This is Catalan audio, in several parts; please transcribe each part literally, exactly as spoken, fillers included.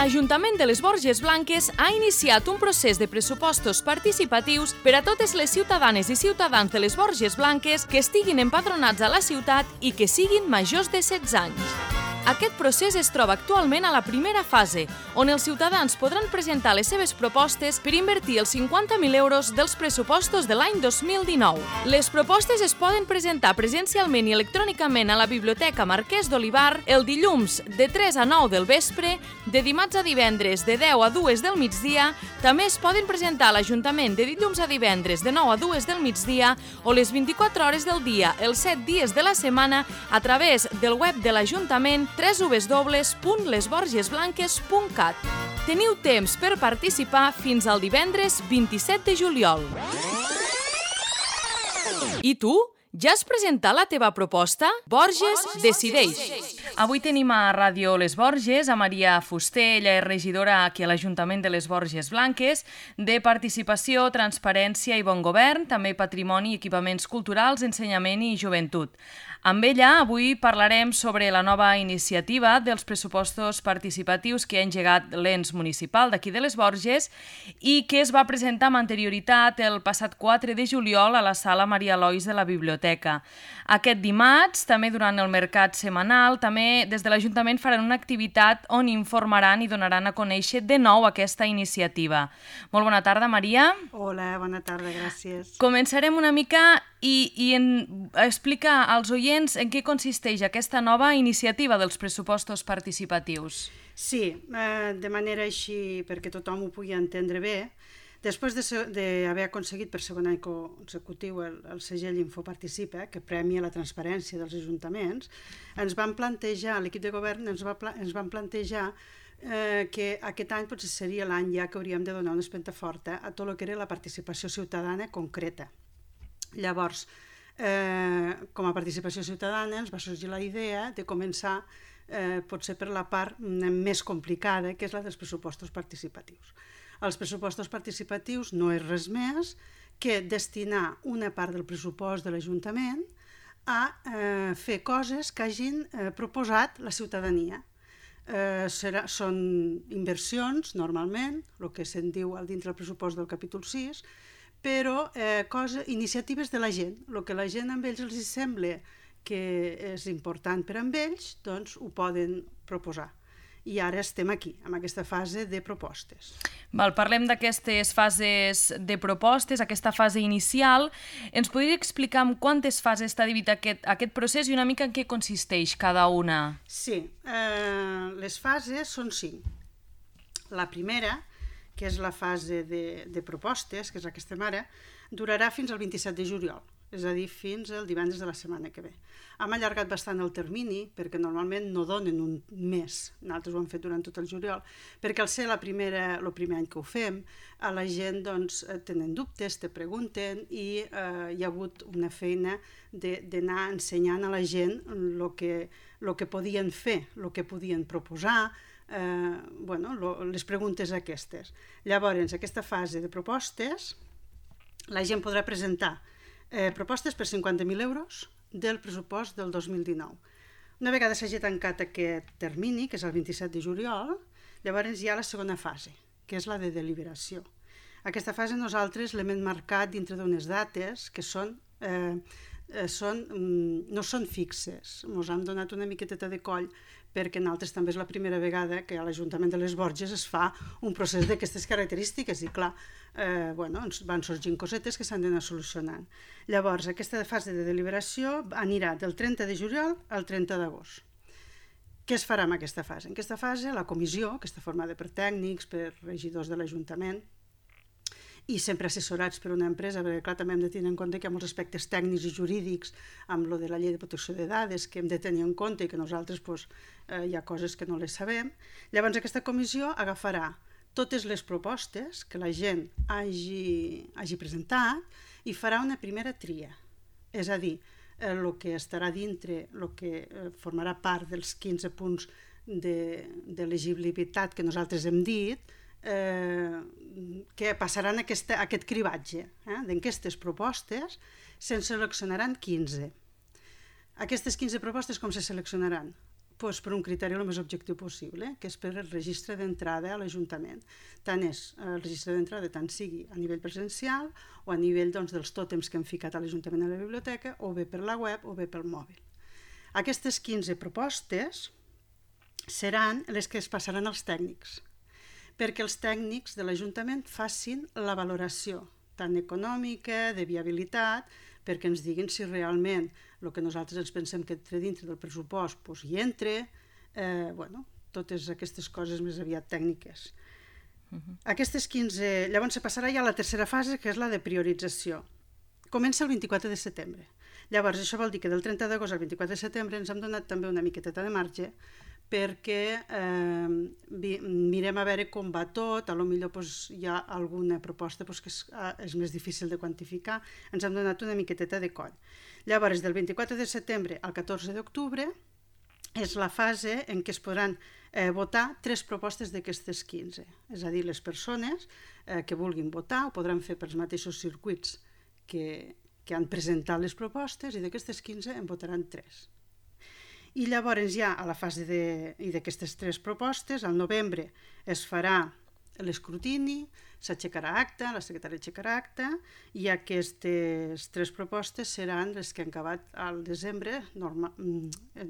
l'Ajuntament de les Borges Blanques ha iniciat un procés de pressupostos participatius per a totes les ciutadanes i ciutadans de les Borges Blanques que estiguin empadronats a la ciutat i que siguin majors de setze anys. Aquest procés es troba actualment a la primera fase, on els ciutadans podran presentar les seves propostes per invertir els cinquanta mil euros dels pressupostos de l'any dos mil dinou. Les propostes es poden presentar presencialment i electrònicament a la Biblioteca Marquès d'Olivar el dilluns de tres a nou del vespre, de dimarts a divendres de deu a dues del migdia, també es poden presentar a l'Ajuntament de dilluns a divendres de nou a dues del migdia o les vint-i-quatre hores del dia, els set dies de la setmana, a través del web de l'Ajuntament w w w punt les borges blanques punt cat. Teniu temps per participar fins al divendres vint-i-set de juliol. I tu? Ja has presentat la teva proposta? Borges decideix. Avui tenim a Ràdio Les Borges a Maria Fuster, ella és regidora aquí a l'Ajuntament de les Borges Blanques, de Participació, Transparència i Bon Govern, també Patrimoni, Equipaments Culturals, Ensenyament i Joventut. Amb ella avui parlarem sobre la nova iniciativa dels pressupostos participatius que ha engegat l'ens municipal d'aquí de les Borges i que es va presentar amb anterioritat el passat quatre de juliol a la sala Maria Lois de la Biblioteca. Aquest dimarts, també durant el mercat setmanal, també des de l'Ajuntament faran una activitat on informaran i donaran a conèixer de nou aquesta iniciativa. Molt bona tarda, Maria. Hola, bona tarda, gràcies. Començarem una mica i, i en, explicar als oients en què consisteix aquesta nova iniciativa dels pressupostos participatius. Sí, eh, de manera així perquè tothom ho pugui entendre bé. Després d'haver aconseguit per segon any consecutiu el, el segell Infoparticipa, que premia la transparència dels ajuntaments, ens van plantejar, l'equip de govern ens, va, ens van plantejar eh, que aquest any potser seria l'any ja que hauríem de donar una espenta forta a tot el que era la participació ciutadana concreta. Llavors, eh, com a participació ciutadana ens va sorgir la idea de començar eh, potser per la part més complicada, que és la dels pressupostos participatius. Els pressupostos participatius no és res més que destinar una part del pressupost de l'Ajuntament a eh, fer coses que hagin eh, proposat la ciutadania. Eh, serà, són inversions, normalment, el que se'n diu al dintre del pressupost del capítol sis, però eh, cosa, iniciatives de la gent. El que la gent amb ells els sembla que és important per amb ells, doncs ho poden proposar. I ara estem aquí, amb aquesta fase de propostes. Val, parlem d'aquestes fases de propostes, aquesta fase inicial. Ens podria explicar en quantes fases està dividit aquest, aquest procés i una mica en què consisteix cada una? Sí, eh, les fases són cinc. La primera, que és la fase de, de propostes, que és la que estem ara, durarà fins al vint-i-set de juliol, és a dir, fins el divendres de la setmana que ve. Hem allargat bastant el termini, perquè normalment no donen un mes, nosaltres ho hem fet durant tot el juliol, perquè al ser la primera, el primer any que ho fem, a la gent doncs, tenen dubtes, te pregunten i eh, hi ha hagut una feina d'anar ensenyant a la gent el que, lo que podien fer, el que podien proposar, eh, bueno, lo, les preguntes aquestes. Llavors, aquesta fase de propostes, la gent podrà presentar Eh, propostes per cinquanta mil euros del pressupost del dos mil dinou. Una vegada s'hagi tancat aquest termini, que és el vint-i-set de juliol, llavors hi ha la segona fase, que és la de deliberació. Aquesta fase nosaltres l'hem marcat dintre d'unes dates que són, eh, eh, són, no són fixes. Ens han donat una miqueteta de coll perquè nosaltres també és la primera vegada que a l'Ajuntament de les Borges es fa un procés d'aquestes característiques i clar, eh, bueno, ens van sorgint cosetes que s'han d'anar solucionant. Llavors, aquesta fase de deliberació anirà del trenta de juliol al trenta d'agost. Què es farà en aquesta fase? En aquesta fase la comissió, que està formada per tècnics, per regidors de l'Ajuntament, i sempre assessorats per una empresa, perquè clar, també hem de tenir en compte que hi ha molts aspectes tècnics i jurídics amb lo de la llei de protecció de dades que hem de tenir en compte i que nosaltres pues, eh, hi ha coses que no les sabem. Llavors aquesta comissió agafarà totes les propostes que la gent hagi, hagi presentat i farà una primera tria. És a dir, el eh, que estarà dintre, el que eh, formarà part dels quinze punts d'elegibilitat que nosaltres hem dit, Eh, que passaran aquesta, aquest cribatge eh, d'aquestes propostes, se'n seleccionaran quinze. Aquestes quinze propostes com se seleccionaran? doncs, per un criteri el més objectiu possible, que és per el registre d'entrada a l'Ajuntament. Tant és el registre d'entrada, tant sigui a nivell presencial o a nivell doncs, dels tòtems que hem ficat a l'Ajuntament a la biblioteca, o bé per la web o bé pel mòbil. Aquestes quinze propostes seran les que es passaran als tècnics, perquè els tècnics de l'Ajuntament facin la valoració, tant econòmica, de viabilitat, perquè ens diguin si realment el que nosaltres ens pensem que entra dintre del pressupost doncs hi entra, eh, bueno, totes aquestes coses més aviat tècniques. Uh-huh. Aquestes quinze... Llavors se passarà ja a la tercera fase, que és la de priorització. Comença el vint-i-quatre de setembre. Llavors, això vol dir que del trenta d'agost al vint-i-quatre de setembre ens hem donat també una miqueteta de marge perquè eh, mirem a veure com va tot, a lo millor doncs, hi ha alguna proposta doncs, que és, és més difícil de quantificar, ens hem donat una miqueteta de coll. Llavors, del vint-i-quatre de setembre al catorze d'octubre és la fase en què es podran eh, votar tres propostes d'aquestes quinze, és a dir, les persones eh, que vulguin votar ho podran fer pels mateixos circuits que, que han presentat les propostes i d'aquestes quinze en votaran tres. I llavors ja a la fase de, i d'aquestes tres propostes, al novembre es farà l'escrutini, s'aixecarà acta, la secretària aixecarà acta, i aquestes tres propostes seran les que han acabat al desembre, normal,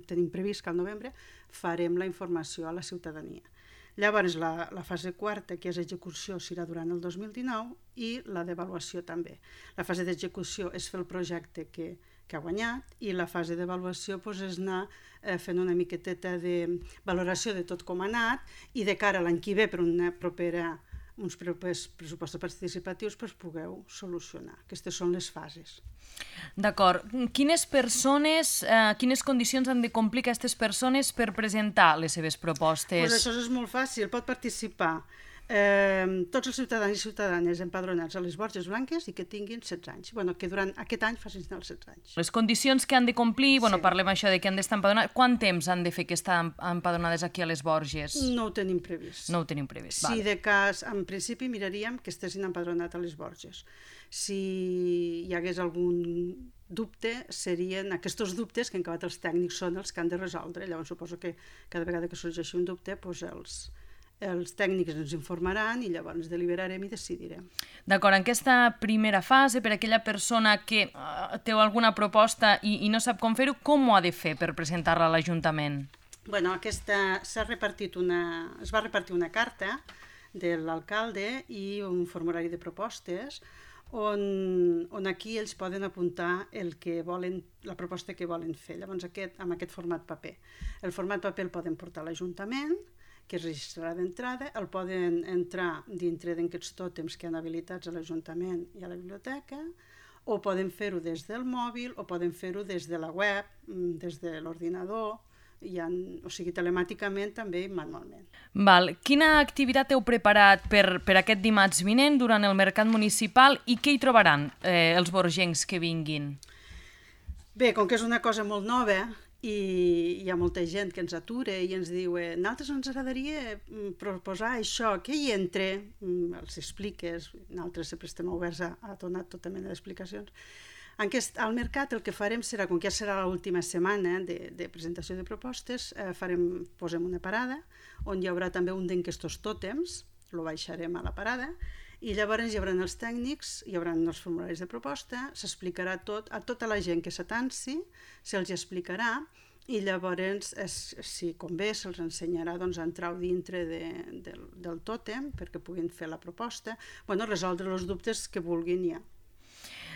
tenim previst que al novembre farem la informació a la ciutadania. Llavors la, la fase quarta, que és execució, serà durant el dos mil dinou i la d'avaluació també. La fase d'execució és fer el projecte que que ha guanyat, i la fase d'avaluació doncs, és anar eh, fent una miqueteta de valoració de tot com ha anat i de cara a l'any que ve per una propera, uns propers pressupostos participatius doncs, pugueu solucionar. Aquestes són les fases. D'acord. Quines persones, eh, quines condicions han de complir aquestes persones per presentar les seves propostes? Pues això és molt fàcil, pot participar Eh, tots els ciutadans i ciutadanes empadronats a les Borges Blanques i que tinguin setze anys. Bueno, que durant aquest any facin els setze anys. Les condicions que han de complir, bueno, sí. Parlem això de que han d'estar empadronats. Quant temps han de fer que estan empadronades aquí a les Borges? No ho tenim previst. No ho tenim previst, Si vale. de cas, en principi miraríem que estessin empadronats a les Borges. Si hi hagués algun dubte, serien aquests dubtes que en acabat els tècnics són els que han de resoldre. Llavors suposo que cada vegada que sorgeixi un dubte doncs els els tècnics ens informaran i llavors deliberarem i decidirem. D'acord, en aquesta primera fase, per a aquella persona que uh, té alguna proposta i, i no sap com fer-ho, com ho ha de fer per presentar-la a l'Ajuntament? Bueno, aquesta s'ha repartit una, es va repartir una carta de l'alcalde i un formulari de propostes on, on aquí ells poden apuntar el que volen, la proposta que volen fer. Llavors, aquest, amb aquest format paper. El format paper el poden portar a l'Ajuntament, que es registrarà d'entrada, el poden entrar dintre d'aquests tòtems que han habilitats a l'Ajuntament i a la biblioteca, o poden fer-ho des del mòbil, o poden fer-ho des de la web, des de l'ordinador, i han, o sigui, telemàticament també i manualment. Val. Quina activitat heu preparat per, per aquest dimarts vinent durant el mercat municipal i què hi trobaran eh, els borgencs que vinguin? Bé, com que és una cosa molt nova, i hi ha molta gent que ens atura i ens diu eh, nosaltres ens agradaria proposar això, que hi entre, els expliques, nosaltres sempre estem oberts a, a donar tota mena d'explicacions. Aquest, al mercat el que farem serà, com que ja serà l'última setmana de, de presentació de propostes, eh, farem, posem una parada on hi haurà també un d'aquests tòtems, el baixarem a la parada, i llavors hi haurà els tècnics, hi haurà els formularis de proposta, s'explicarà tot, a tota la gent que s'atansi, se'ls explicarà i llavors, es, si convé, se'ls ensenyarà doncs, a entrar dintre de, de, del tòtem perquè puguin fer la proposta, bueno, resoldre els dubtes que vulguin ja.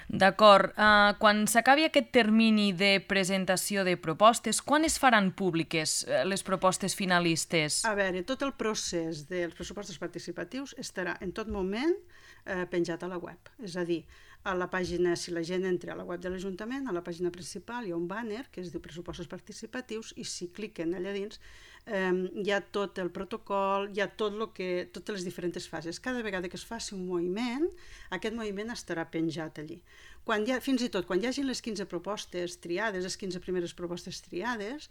D'acord. Uh, quan s'acabi aquest termini de presentació de propostes, quan es faran públiques uh, les propostes finalistes? A veure, tot el procés dels pressupostos participatius estarà en tot moment eh, penjat a la web. És a dir, a la pàgina, si la gent entra a la web de l'Ajuntament, a la pàgina principal hi ha un banner que es diu pressupostos participatius i si cliquen allà dins eh, hi ha tot el protocol, hi ha tot lo que, totes les diferents fases. Cada vegada que es faci un moviment, aquest moviment estarà penjat allí. Quan hi ha, fins i tot quan hi hagin les quinze propostes triades, les quinze primeres propostes triades,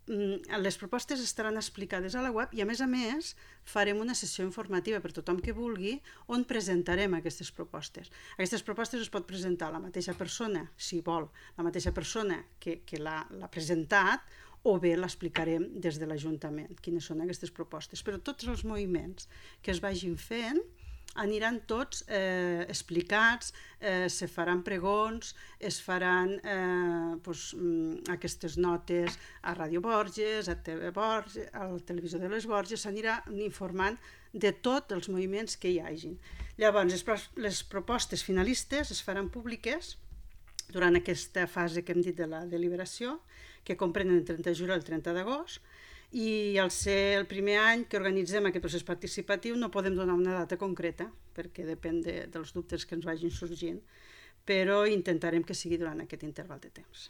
les propostes estaran explicades a la web i a més a més farem una sessió informativa per tothom que vulgui on presentarem aquestes propostes. Aquestes propostes es pot presentar la mateixa persona, si vol, la mateixa persona que, que l'ha presentat o bé l'explicarem des de l'Ajuntament, quines són aquestes propostes. Però tots els moviments que es vagin fent aniran tots eh, explicats, eh, se faran pregons, es faran eh, pues, aquestes notes a Ràdio Borges, a T V Borges, a la televisió de les Borges, s'anirà informant de tots els moviments que hi hagin. Llavors, les, les propostes finalistes es faran públiques durant aquesta fase que hem dit de la deliberació, que comprenen el trenta de juliol i el trenta d'agost, i al ser el primer any que organitzem aquest procés participatiu no podem donar una data concreta, perquè depèn de, dels dubtes que ens vagin sorgint, però intentarem que sigui durant aquest interval de temps.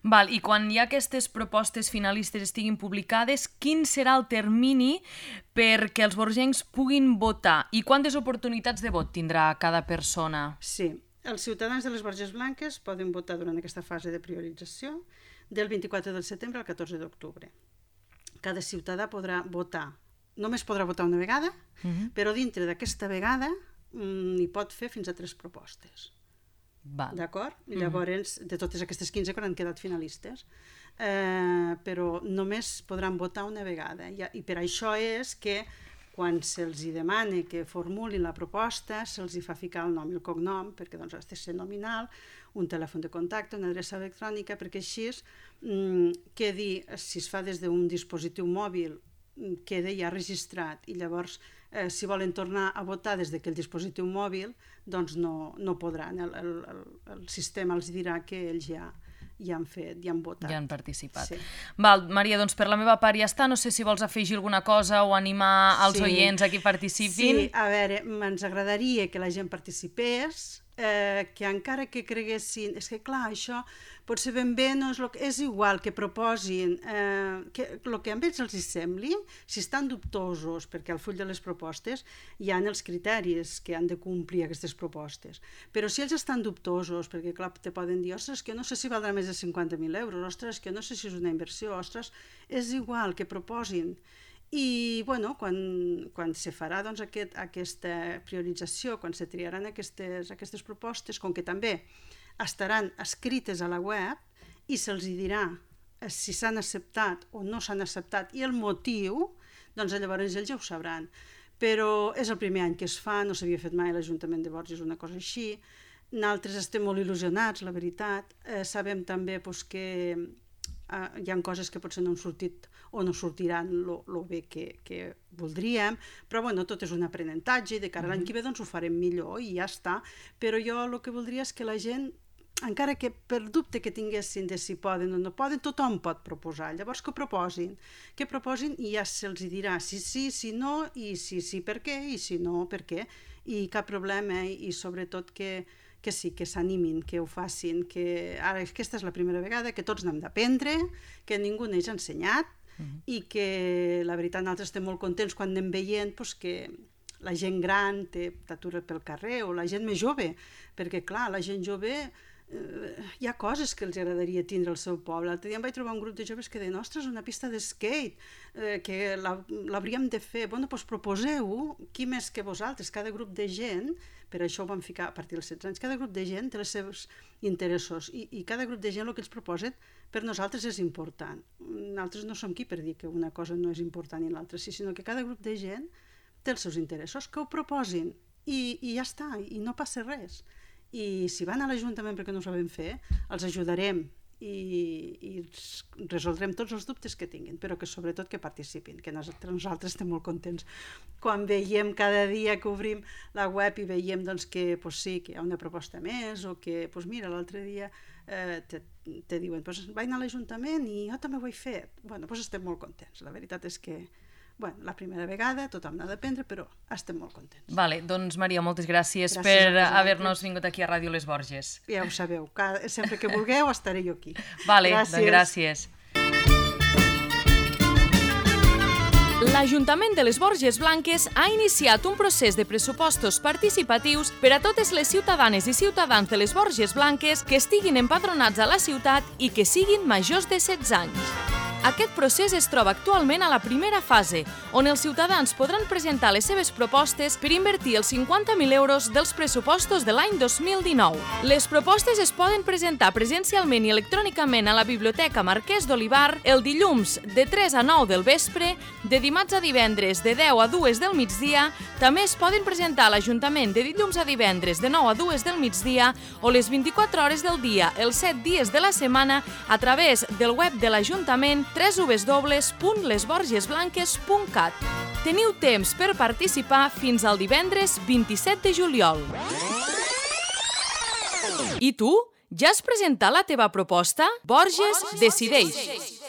Val, i quan ja aquestes propostes finalistes estiguin publicades, quin serà el termini perquè els borgencs puguin votar? I quantes oportunitats de vot tindrà cada persona? Sí, els ciutadans de les Borges Blanques poden votar durant aquesta fase de priorització del vint-i-quatre de setembre al catorze d'octubre. Cada ciutadà podrà votar, només podrà votar una vegada, uh-huh. però dintre d'aquesta vegada n'hi pot fer fins a tres propostes. Val. D'acord? Uh-huh. Llavors, de totes aquestes quinze que han quedat finalistes, eh, però només podran votar una vegada. I, i per això és que quan se'ls demana que formulin la proposta, se'ls fa ficar el nom i el cognom, perquè doncs, ha de ser nominal, un telèfon de contacte, una adreça electrònica, perquè així mm, quedi, si es fa des d'un dispositiu mòbil, queda ja registrat, i llavors eh, si volen tornar a votar des d'aquell dispositiu mòbil, doncs no, no podran. El, el, el, el sistema els dirà que ells ja, ja han fet, ja han votat. Ja han participat. Sí. Val, Maria, doncs per la meva part ja està. No sé si vols afegir alguna cosa o animar els sí. oients a que participin. Sí, a veure, ens agradaria que la gent participés, eh, que encara que creguessin... És que clar, això potser ben bé no és, lo que, és igual que proposin, eh, que el que a ells els sembli, si estan dubtosos, perquè al full de les propostes hi ha els criteris que han de complir aquestes propostes, però si ells estan dubtosos, perquè clar, te poden dir, ostres, que no sé si valdrà més de cinquanta mil euros, ostres, que no sé si és una inversió, ostres, és igual que proposin. I bueno, quan, quan se farà doncs, aquest, aquesta priorització, quan se triaran aquestes, aquestes propostes, com que també estaran escrites a la web i se'ls dirà si s'han acceptat o no s'han acceptat i el motiu, doncs llavors ells ja ho sabran. Però és el primer any que es fa, no s'havia fet mai a l'Ajuntament de Borges una cosa així. Nosaltres estem molt il·lusionats, la veritat. Eh, sabem també doncs, que eh, hi ha coses que potser no han sortit o no sortiran el bé que, que voldríem, però bueno, tot és un aprenentatge i de cara a l'any que ve doncs, ho farem millor i ja està. Però jo el que voldria és que la gent, encara que per dubte que tinguessin de si poden o no poden, tothom pot proposar. Llavors que ho proposin, que proposin i ja se'ls dirà si sí, si no, i si sí per què, i si no per què, i cap problema, i sobretot que que sí, que s'animin, que ho facin, que ara aquesta és la primera vegada que tots n'hem d'aprendre, que ningú n'hagi ensenyat, uh-huh. i que la veritat nosaltres estem molt contents quan anem veient pues, que la gent gran t'atura pel carrer o la gent més jove, perquè clar, la gent jove eh, hi ha coses que els agradaria tindre al seu poble. L'altre dia em vaig trobar un grup de joves que deien, ostres, una pista d'skate, eh, que l'hauríem de fer. Bueno, doncs proposeu-ho, qui més que vosaltres, cada grup de gent, per això ho vam ficar a partir dels setze anys, cada grup de gent té els seus interessos i, i cada grup de gent el que ens proposen per nosaltres és important. Nosaltres no som qui per dir que una cosa no és important i l'altra sí, sinó que cada grup de gent té els seus interessos, que ho proposin i, i ja està, i no passa res. I si van a l'Ajuntament perquè no ho sabem fer, els ajudarem i, i resoldrem tots els dubtes que tinguin, però que sobretot que participin, que nosaltres, nosaltres estem molt contents quan veiem cada dia que obrim la web i veiem doncs, que pues, sí, que hi ha una proposta més o que pues, mira, l'altre dia eh, te, te diuen pues, vaig anar a l'Ajuntament i jo també ho he fet. Bueno, pues, estem molt contents, la veritat és que bueno, la primera vegada, tothom n'ha d'aprendre, però estem molt contents. Vale, doncs Maria, moltes gràcies, gràcies per haver-nos vingut aquí a Ràdio Les Borges. Ja ho sabeu, cada, sempre que vulgueu estaré jo aquí. Vale, gràcies. Doncs gràcies. L'Ajuntament de les Borges Blanques ha iniciat un procés de pressupostos participatius per a totes les ciutadanes i ciutadans de les Borges Blanques que estiguin empadronats a la ciutat i que siguin majors de setze anys. Aquest procés es troba actualment a la primera fase, on els ciutadans podran presentar les seves propostes per invertir els cinquanta mil euros dels pressupostos de l'any dos mil dinou. Les propostes es poden presentar presencialment i electrònicament a la Biblioteca Marquès d'Olivar el dilluns de tres a nou del vespre, de dimarts a divendres de deu a dues del migdia. També es poden presentar a l'Ajuntament de dilluns a divendres de nou a dues del migdia o les vint-i-quatre hores del dia, els set dies de la setmana, a través del web de l'Ajuntament w w w punt les borges blanques punt cat. Teniu temps per participar fins al divendres vint-i-set de juliol. I tu? Ja has presentat la teva proposta? Borges decideix!